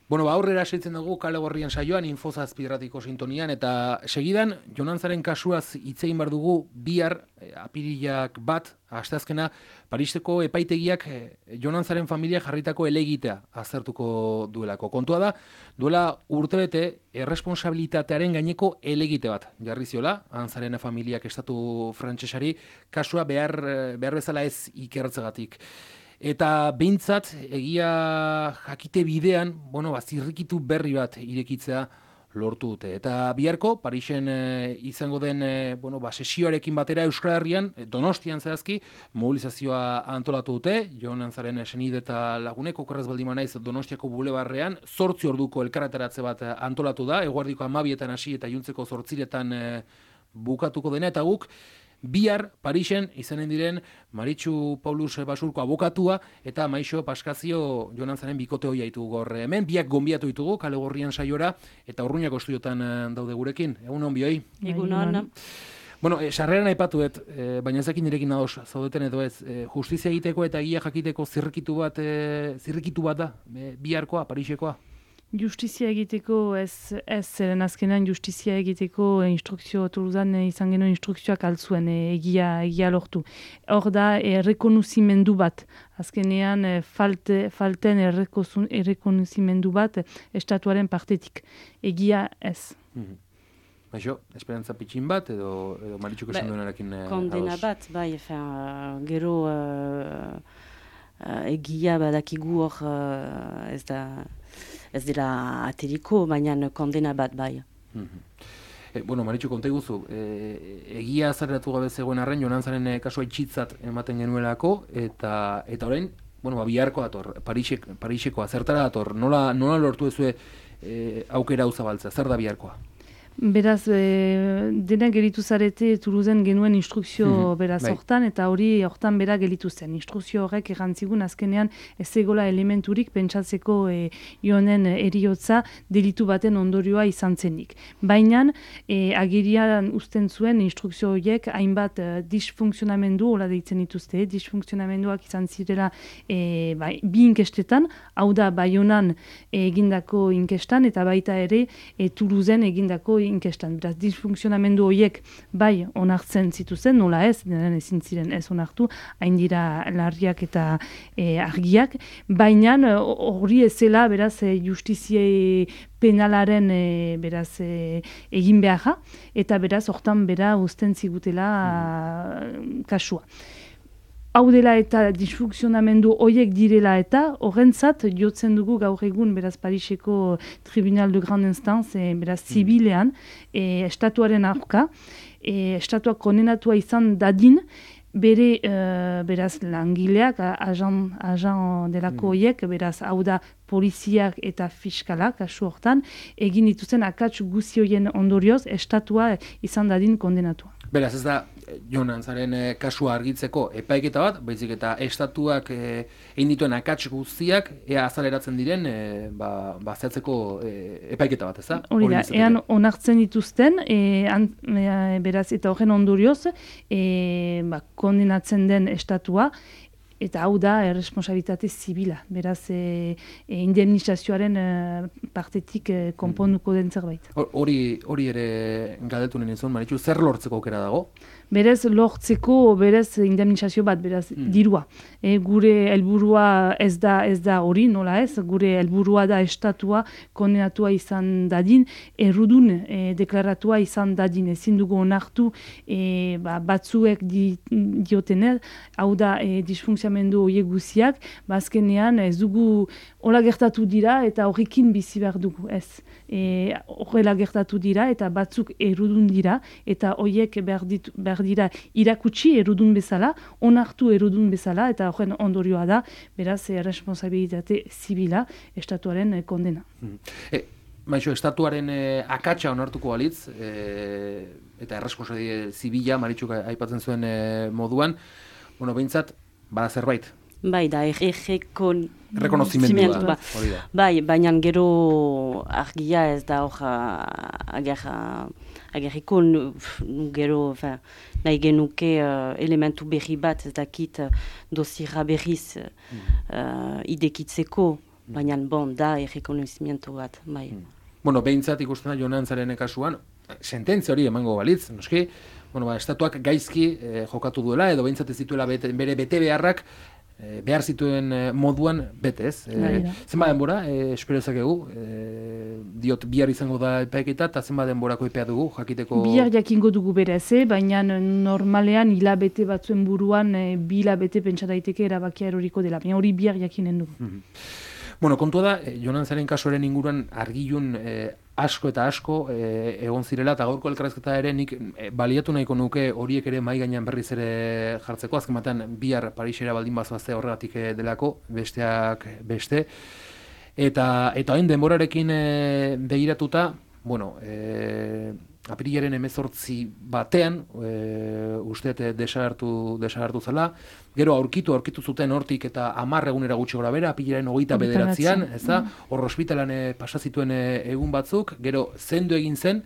Bueno, aurrera segitzen dugu Kale Gorrien saioan Infozazpirratiko sintonian eta segidan Jonantzaren kasuaz hitz egin behar dugu bihar apirilak 1 asteazkena Pariseko epaitegiak Jonantzaren familia jarritako helegitea aztertuko duelako. Kontua da, duela urtebete erresponsabilitatearen gaineko helegite bat jarri ziola Antzaren familiak estatu frantsesari kasua behar bezala ez ikertzegatik. Eta behintzat, egia jakite bidean, zirrikitu berri bat irekitzea lortu dute. Eta biharko, Parisen izango den sesioarekin batera Euskal Herrian, Donostian zehazki, mobilizazioa antolatu dute, Jonantzaren senide eta lagunek, okerrez baldin naiz Donostiako bulebarrean, 8 orduko elkarretaratze bat antolatu da, eguerdiko 12etan hasi eta iluntzeko 8etan bukatuko dena, eta guk, bihar, Parisen, izanen diren Maritxu Paulus Basurko abokatua eta Maixo Paskazio Jonantzaren bikote hoia ditugu gaur hemen. Biak gonbiatu ditugu Kale Gorrien saiora eta Urruñako estudiotan daude gurekin. Egun hon bioi. Egun hon. Sarreran aipatuet, baina ez dakin nirekin ados zaudeten edo ez, justizia egiteko eta egia jakiteko zirrikitu bat da, biharkoa, Parisekoa? Justizia egiteko ez zeren azkenean justizia egiteko instrukzio Toulousan izan genuen instrukzioak altzuen egia lortu. Hor da errekonozimendu bat. Azkenean falten errekonozimendu bat estatuaren partetik. Egia ez. Baixo, esperantza pitxin bat edo Maritxuk esan duenarekin kondena bat, gero egia badakigu hor ez dela ateriko, baina kondena bat bai. Maritxu, konta iguzu, egia azareratu gabe zegoen arren, Jonantzaren kasua itxitzat ematen genuelako, eta orain, biharko dator, Parisekoa, zertara dator, nola lortu ezue aukera hau zabaltzea, zer da biharkoa? Beraz, dena gelitu zarete Toulousen genuen instrukzio beraz hortan, eta hortan bera gelitu zen. Instrukzio horrek errantzigun azkenean ez egola elementurik pentsatzeko joanen eriotza delitu baten ondorioa izan zenik. Baina, agirian usten zuen instrukzio horiek hainbat disfuntzionamendu, hola deitzen dituzte, disfuntzionamenduak izan zirela bi inkestetan, hau da Baionan egindako inkestan, eta baita ere Toulousen egindako inkestan. Beraz, disfuntzionamendu horiek bai onartzen zituzen, nola ez, denen ezin ziren ez onartu, hain dira larriak eta argiak, baina hori ezela, beraz, justizie penalaren beraz egin beharra, eta beraz, hortan bera uzten zigutela kasua. Hau dela eta disfuntzionamendu horiek direla eta horrentzat jotzen dugu gaur egun beraz Pariseko Tribunal de Grande Instance beraz zibilean estatuaren aurka, estatuak kondenatua izan dadin bere beraz langileak, ajan delako horiek, beraz hau da poliziak eta fiskalak, kasu hortan, egin dituzen akats guzi horien ondorioz estatua izan dadin kondenatua. Beraz, ez da Jonantzaren kasua argitzeko epaiketa bat, baizik eta estatuak egin dituen akats guztiak ea azaleratzen diren zehatzeko epaiketa bat, ez da? Hori da, ean onartzen dituzten, beraz, eta horren ondorioz, kondenatzen den estatua, eta hau da erresponsabilitate zibila, beraz indemnizazioaren partetik konponduko den zerbait. Hori ere galdetu nizun, Maritxu, zer lortzeko aukera dago? Berez lortzeko, berez indemnizazio bat, beraz dirua. Gure helburua ez da hori, nola ez, gure helburua da estatua kondenatua izan dadin, errudun deklaratua izan dadin, ezin dugu onartu batzuek diotener, hau da disfuntzionamendu horiek guziak, azkenean ez dugu hola gertatu dira eta horrekin bizi behar dugu, ez. Horrela gertatu dira eta batzuk errudun dira eta horiek behar dira irakutsi errudun bezala, onartu errudun bezala eta horren ondorioa da, beraz, responsabilitate zibila estatuaren kondena. Maixo, estatuaren akatsa onartuko balitz, eta erresponsabilitate zibila, Maritxuk aipatzen zuen moduan, behintzat, bada zerbait. Bai, da, rekonozimendua. Bai, baina gero argia ez da agerriko gero nahi genuke elementu berri bat ez dakit dosira berriz idekitzeko baina da errekonozimiento bat, bai. Bueno, behintzat ikusten da Jonantzaren kasuan, sententzia hori emango balitz, noski, estatuak gaizki jokatu duela, edo behintzat ez dituela bere bete beharrak, behar zituen moduan bete, ez? Zenba denbora, espero ezakegu, diot bihar izango da epaiketa, eta zenba denborako epea dugu, jakiteko... Bihar jakingo dugu berez, baina normalean hilabete batzuen buruan, bi hilabete pentsa daiteke erabakia eroriko dela, baina hori bihar jakinen dugu. Bueno, kontua da, Jonantzaren kasuaren inguruan argilun asko eta asko egon zirela, eta gaurko elkarrezketa ere nik baliatu nahiko nuke horiek ere mahai gainean berriz ere jartzeko, azken batean bihar Parisera baldin bazoazte horregatik delako, besteak beste, eta hain denborarekin begiratuta, bueno, apirilaren 18 batean, uste desagertu zela, gero aurkitu zuten hortik eta 10 egunera gutxi gora bera, apirilaren 29an, ez da, hor ospitalan pasazituen egun batzuk, gero zendu egin zen,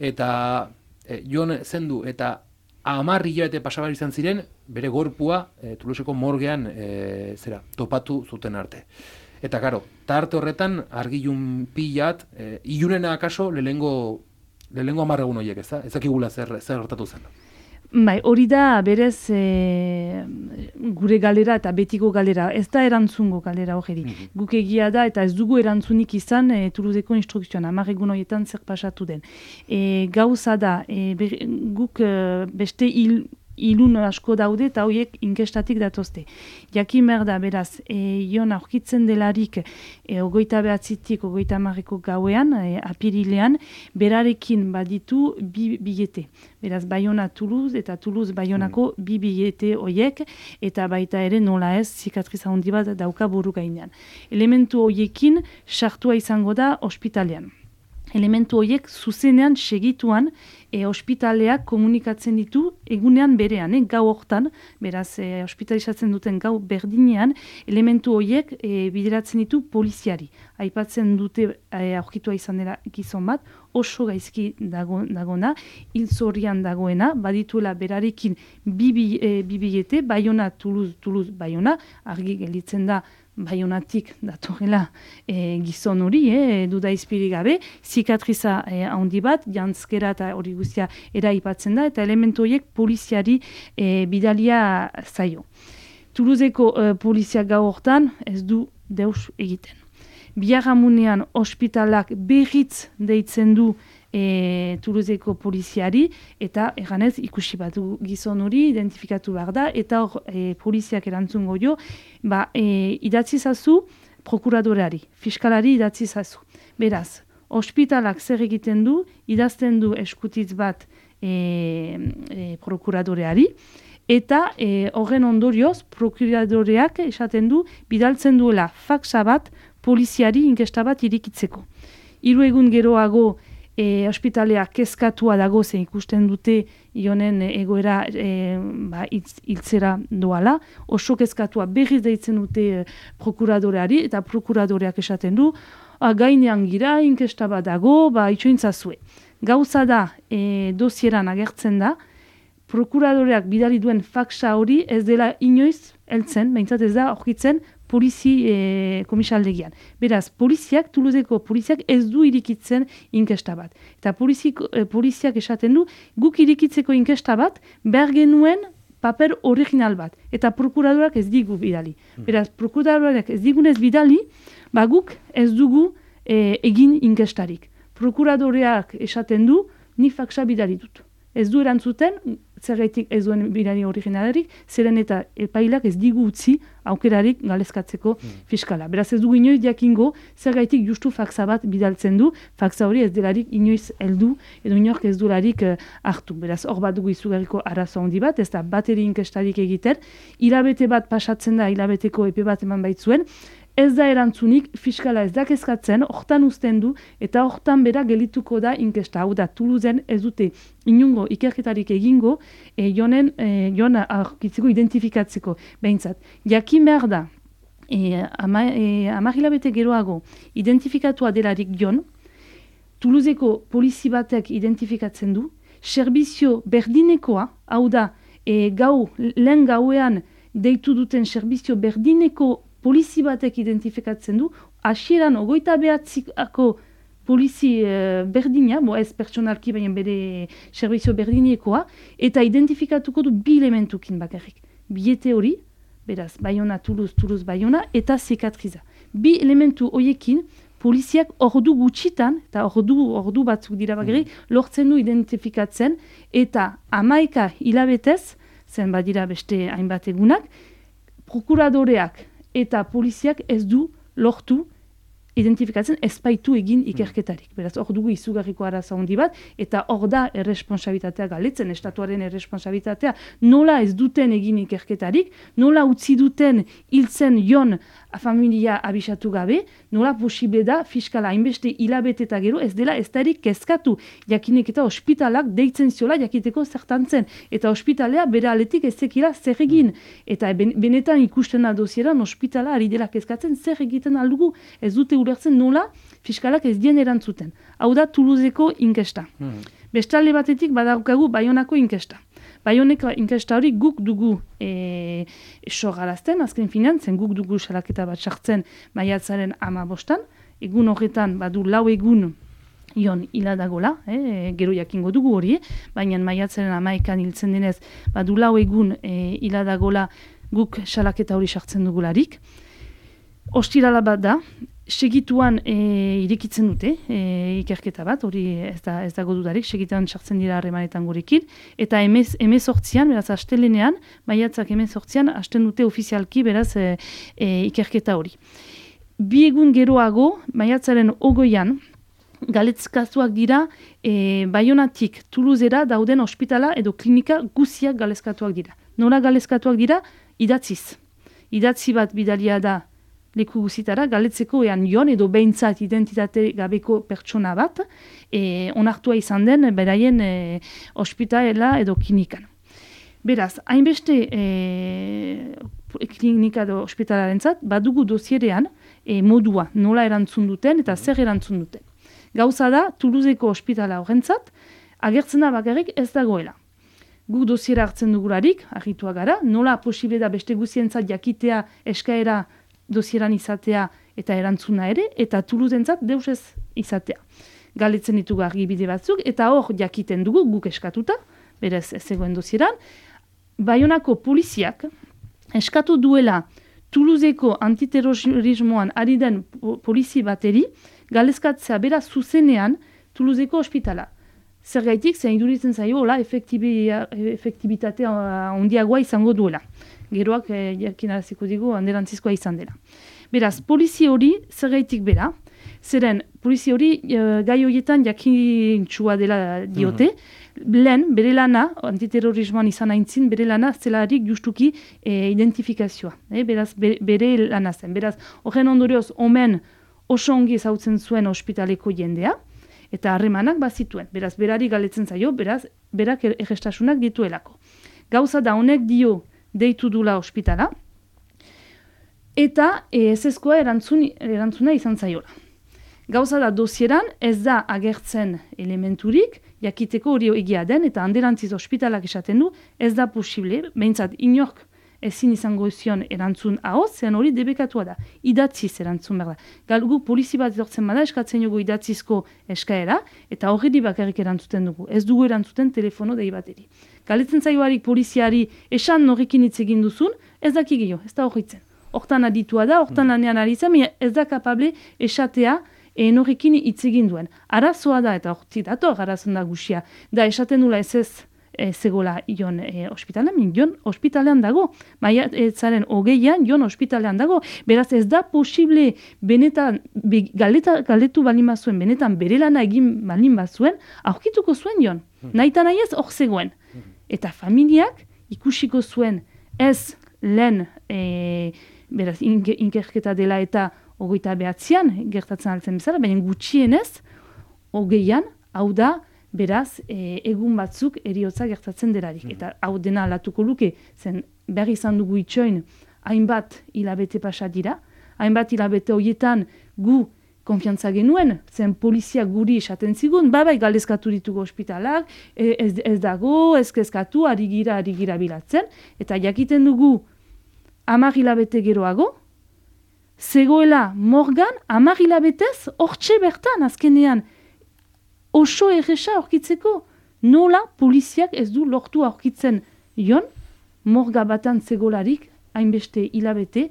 eta Jon zendu eta 10 hilabete pasabar izan ziren, bere gorpua Toulouseko morgean topatu zuten arte. Eta karo, tarte horretan argilun pilat, ilunena akaso lehenengo 10 egun horiek, ez da? Ez dakigula zer gertatu zen. Bai, hori da berez gure galera eta betiko galera, ez da erantzungo galera hori. Guk egia da eta ez dugu erantzunik izan Toulouseko instrukzioan, 10 egun horietan zer pasatu den. Gauza da, guk beste ilun asko daude eta horiek inkestatik datozte. Jakin behar da, beraz, Jon aurkitzen delarik 29-tik 30-eko gauean, apirilean, berarekin baditu bi bilete. Beraz, Bayona-Toulouse eta Toulouse-Bayonako bi bilete horiek, eta baita ere nola ez, zikatriza handi bat dauka buru gainean. Elementu horiekin sartua izango da ospitalean. Elementu horiek zuzenean segituan ospitaleak komunikatzen ditu egunean berean, gau hortan, beraz ospitalizatzen duten gau berdinean, elementu horiek bideratzen ditu poliziari. Aipatzen dute aurkitua izan dela gizon bat, oso gaizki dagona, hilzorian dagoena, badituela berarekin bi bilete, Bayona, Toulouse, Bayona, argi gelditzen da Bayonatik datorela gizon hori, duda izpiri gabe, zikatriza handi bat, jantzkera eta hori guztia eraipatzen da, eta elementu horiek poliziari bidalia zaio. Toulouseko polizia gau hortan ez du deus egiten. Biharamunean ospitalak berriz deitzen du Toulouseko poliziari, eta eganez ikusi bat gizon hori identifikatu behar da, eta hor poliziak erantzungo jo, idatzi zazu prokuradoreari, fiskalari idatzi zazu. Beraz, ospitalak zer egiten du, idazten du eskutitz bat prokuradoreari, eta horren ondorioz prokuradoreak esaten du, bidaltzen duela faxa bat poliziari inkesta bat irikitzeko. 3 egun geroago ospitaleak kezkatua dago zen ikusten dute Jonen egoera hiltzera doala. Oso kezkatua berriz deitzen dute prokuradoreari eta prokuradoreak esaten du gainean gira, inkesta bat dago, itxointzazue. Gauza da, dosieran agertzen da, prokuradoreak bidali duen faxa hori ez dela inoiz heltzen, behintzat ez da aurkitzen komisaldegian. Beraz, Toulouseko poliziak ez du irikitzen inkesta bat. Eta poliziak esaten du, guk irikitzeko inkesta bat, behar genuen paper original bat. Eta prokuradorak ez digu bidali. Beraz, prokuradorak ez digunez bidali, guk ez dugu egin inkestarik. Prokuradoreak esaten du, ni faxa bidali dut. Ez du erantzuten, zergaitik ez duen bidali originalarik, zeren eta epailak ez digu utzi aukerarik galezkatzeko fiskala. Beraz ez dugu inoiz jakingo, zergaitik justu faxa bat bidaltzen du, faxa hori ez delarik inoiz heldu, edo inork ez dularik hartu. Beraz hor bat dugu izugarriko arazo handi bat, ez da bateri inkestarik egiten, hilabete bat pasatzen da, hilabeteko epe bat eman baitzuen, ez da erantzunik, fiskala ez da kezkatzen, hortan uzten du, eta hortan bera gelituko da inkesta. Hau da, Toulousen ez dute inungo ikerketarik egingo, Jon aurkitzeko identifikatzeko. Behintzat, jakin behar da, 10 hilabete geroago identifikatua delarik Jon, Toulouseko polizi batek identifikatzen du, serbizio berdinekoa, hau da, lehen gauean deitu duten serbizio berdineko polizi batek identifikatzen du, hasieran 29ako polizi berdina, ez pertsonalki baina bere servizio berdinekoa, eta identifikatuko du 2 elementukin bakarrik. Bilete hori, beraz, Bayona, Toulouse, Bayona, eta zikatriza. 2 elementu horiekin, poliziak ordu gutxitan, eta ordu batzuk dira bakarrik, lortzen du identifikatzen, eta 11 hilabetez, zen badira beste hainbat egunak, prokuradoreak eta poliziak ez du lortu identifikatzen ezpaitu egin ikerketarik. Beraz, hor dugu izugarriko arazo handi bat, eta hor da erresponsabilitatea galetzen, estatuaren erresponsabilitatea, nola ez duten egin ikerketarik, nola utzi duten hiltzen jon familia abisatu gabe, nola posible da fiskala hainbeste hilabete eta gero ez dela ez darik kezkatu, jakinek eta ospitalak deitzen ziola jakiteko zertantzen, eta ospitalea bere aletik ez zekila zer egin, eta benetan ikusten da dosieran ospitala ari dela kezkatzen zer egiten aldugu, ez dute ulertzen nola fiskalak ez dien erantzuten. Hau da Toulouseko inkesta. Bestalde batetik badaukagu Bayonako inkesta. Bayoneko inkesta hori guk dugu sogarazten, azken finean, zen guk dugu salaketa bat sartzen maiatzaren 15, egun horretan badu 4 egun ion hiladagola, gero jakingo dugu hori, baina maiatzaren 11 hiltzen denez, badu 4 egun hiladagola guk salaketa hori sartzen dugularik. Ostirala bat da, segituan irekitzen dute ikerketa bat, hori ez dago dudarik, segituan sartzen dira harremanetan gurekin, eta 18an, beraz astelenean, maiatzak 18an, hasten dute ofizialki beraz ikerketa hori. 2 egun geroago, maiatzaren 20an, galezkatuak dira Bayonatik Toulousera dauden ospitala edo klinika guziak galezkatuak dira. Nola galezkatuak dira? Idatziz. Idatzi bat bidalia da leku guzitara, galetzeko ean jon edo behintzat identitate gabeko pertsona bat, onartua izan den beraien ospitala edo klinikan. Beraz, hainbeste klinika edo ospitalarentzat, badugu dosierean modua, nola erantzun duten eta zer erantzun duten. Gauza da, Toulouseko ospitala horrentzat, agertzen da bakarrik ez dagoela. Guk dosiera hartzen dugularik, argitua gara, nola posible da beste guzientzat jakitea eskaera dosieran izatea eta erantzuna ere, eta Toulousentzat deus ez izatea. Galetzen ditugu argibide batzuk, eta hor jakiten dugu, guk eskatuta, berez ez zegoen dosieran, Bayonako poliziak eskatu duela Toulouseko antiterrorismoan ari den polizi bateri, galezkatzea bera zuzenean Toulouseko ospitala. Zergaitik, zein iduritzen zaio, efektibitatea ondiagoa izango duela. Geroak jarkinaraziko digu handerantzizkoa izan dela. Beraz, polizi hori zergaitik bera, zeren polizi hori gai horietan jakintsua dela diote, lehen bere lana, antiterrorismoan izan aintzin, bere lana zelarik justuki identifikazioa. Beraz, bere lana zen. Beraz, horren ondorioz, omen oso ongi ezautzen zuen ospitaleko jendea, eta harremanak bazituen. Beraz, berari galetzen zaio, beraz, berak errestasunak dituelako. Gauza da honek dio deitu dula ospitala, eta ezezkoa erantzuna izan zaiola. Gauza da dosieran ez da agertzen elementurik, jakiteko hori egia den, eta handerantziz ospitalak esaten du, ez da posible, behintzat inork ezin izango zion erantzun ahoz, zean hori debekatua da, idatziz erantzun behar da. Galgu polizi bat etortzen bada, eskatzen dugu idatzizko eskaera, eta horri bakarrik erantzuten dugu. Ez dugu erantzuten telefono dei bateri. Galetzen zaioarik poliziari esan norrekin hitz egin duzun, ez daki gehiago, ez da horretzen. Hortan aditua da, hortan lanean ari zen, ez da kapable esatea norrekin hitz egin duen. Arazoa da, eta hortik dator arazon da guxia, da esaten dula ez zegoela jon ospitalean, jon ospitalean dago. Maiatzaren 20an jon ospitalean dago. Beraz ez da posible benetan, galetu balin bazuen, benetan bere lana egin balin bazuen, aurkituko zuen jon. Nahi eta nahi ez hor zegoen. Eta familiak ikusiko zuen ez lehen beraz inkerketa dela eta 29an gertatzen altzen bezala, baina gutxienez 20an, hau da, beraz, egun batzuk eriotza gertatzen delarik. Eta hau dena alatuko luke, zen behar izan dugu itxoin, hainbat hilabete pasa dira, hainbat hilabete horietan gu konfiantza genuen, zen polizia guri esaten zigun, bai galezkatu ditugu ospitalak, ez dago, ez kezkatu, ari gira bilatzen, eta jakiten dugu 10 hilabete geroago, zegoela morgan, 10 hilabetez, hortxe bertan, azkenean, oso erresa aurkitzeko, nola poliziak ez du lortu aurkitzen jon, morga batan zegolarik, hainbeste hilabete,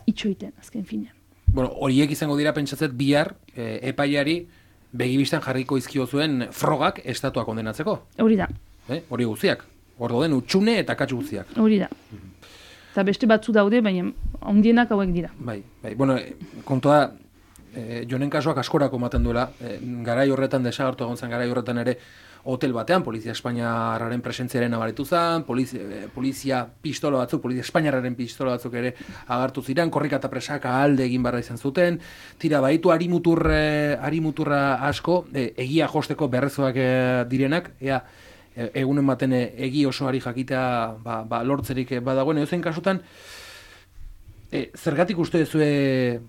itxoiten, azken finean. Bueno, horiek izango dira pentsatzet bihar epaiari begibistan jarriko izkio zuen frogak estatua kondenatzeko. Hori da. Hori guztiak. Ordo den utxune eta katsu guztiak. Hori da. Eta beste batzu daude, baina ondienak hauek dira. Bai. Bueno, kontua Jonen kasuak askorako ematen duela, garai horretan desagertu egon zen, garai horretan ere hotel batean, Polizia Espainiarraren presentziaren nabaritu zen, polizia pistola batzuk, Polizia Espainiarraren pistola batzuk ere agartu ziren, korrika eta presaka alde egin barra izan zuten, tira baitu arimuturra asko, egia josteko berrezoak direnak, egunen baten egi osoari jakitea lortzerik badagoen, edozein kasutan, zergatik uste duzue,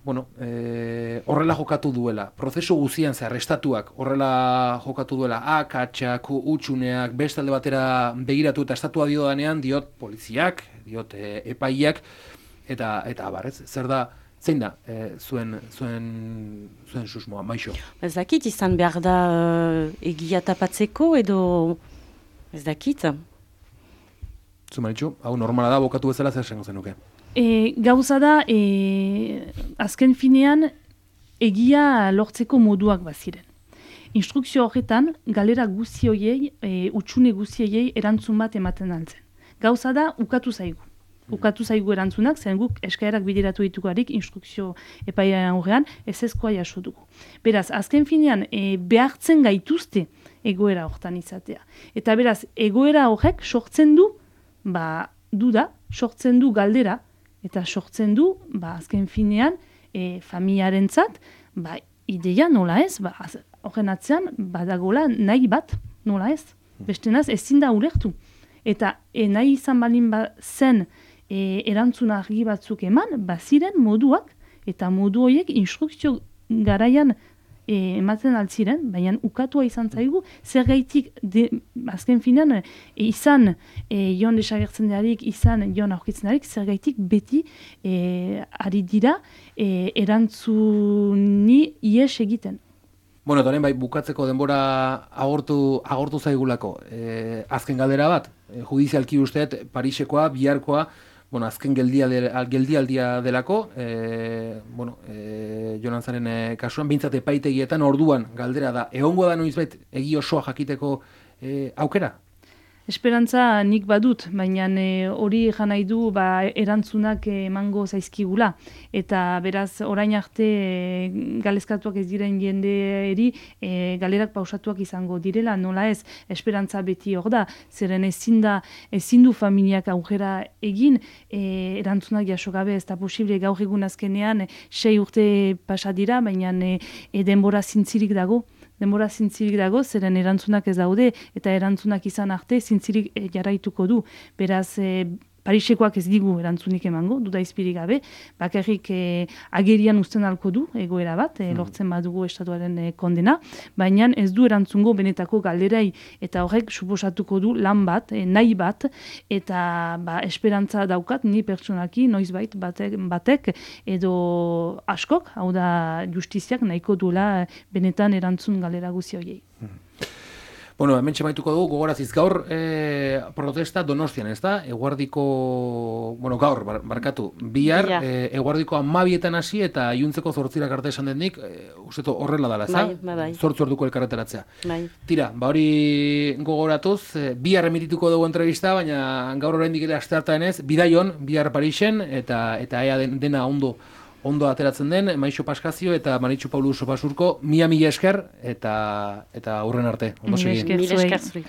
horrela jokatu duela, prozesu guzian zehar, estatuak horrela jokatu duela, akatsak, utxuneak, beste alde batera begiratu eta estatua dio danean, diot poliziak, diot epaiak, eta barrez, zer da, zein da zuen susmoa, Maixo? Ez dakit, izan behar da egia tapatzeko edo ez dakit. Zumaritxu, hau normala da, bokatu bezala zer esango zenuke? Gauza da, azken finean, egia lortzeko moduak baziren. Instrukzio horretan, galera guzioiei, utxune guzioiei erantzun bat ematen altzen. Gauza da, ukatu zaigu. Ukatu zaigu erantzunak, zen guk eskaerak bideratu ditugarik instrukzio epaiaren aurrean, ezezkoa jaso dugu. Beraz, azken finean, behartzen gaituzte egoera hortan izatea. Eta beraz, egoera horrek sortzen du, duda, sortzen du galdera, eta sortzen du, azken finean, familiarentzat, ideia nola ez, horren atzean, badagola nahi bat, nola ez. Bestenaz, ezin da ulertu. Eta nahi izan balin zen erantzuna argi batzuk eman, baziren moduak, eta modu horiek instrukzio garaian ematen altziren, baina ukatua izan zaigu, zer gaitik, azken finean, izan jon desagertzen darik, izan jon aurkitzen darik, zer gaitik beti ari dira erantzuni ies egiten. Bueno, eta bai, bukatzeko denbora agortu zaigulako. Azken galdera bat, judizialki usteet, Parisekoa, biharkoa, azken geldialdia delako, Jonantzaren kasuan, bintzat epaitegietan orduan galdera da, egongo da noizbait egi osoa jakiteko aukera? Esperantza nik badut, baina hori jan nahi du erantzunak emango zaizkigula. Eta beraz, orain arte galezkatuak ez diren jendeeri galerak pausatuak izango direla, nola ez, esperantza beti hor da, zeren ezin du familiak aurrera egin, erantzunak jaso gabe ez da posible gaur egun azkenean 6 urte pasa dira, baina denbora zintzirik dago. Denbora zintzirik dago, zeren erantzunak ez daude, eta erantzunak izan arte zintzirik jarraituko du. Beraz, Parisekoak ez digu erantzunik emango, duda izpirik gabe, bakarrik agerian uzten alko du, egoera bat, lortzen badugu estatuaren kondena, baina ez du erantzungo benetako galderai, eta horrek suposatuko du lan bat, nahi bat, eta esperantza daukat, ni pertsonaki, noizbait batek, edo askok, hau da justiziak nahiko duela benetan erantzun galdera guzi horiei. Bueno, hemen txemaituko dugu, gogoraziz gaur protesta Donostian, ez da? Gaur, barkatu, bihar, eguardiko 12etan hasi eta iluntzeko 8 arte esan denik, usteto horrela dala, ez da? Bai. 8 orduko elkarreteratzea. Bai. Tira, hori gogoratuz, bihar emitituko dugu entrevista, baina gaur oraindik ere asteartean ez, bidaion, bihar Parisen, eta ea dena ondo ateratzen den, Maixo Paskazio eta Maritxu Paulu Sopasurko, mila esker, eta hurren arte. Ondo segi. Mila esker zuri.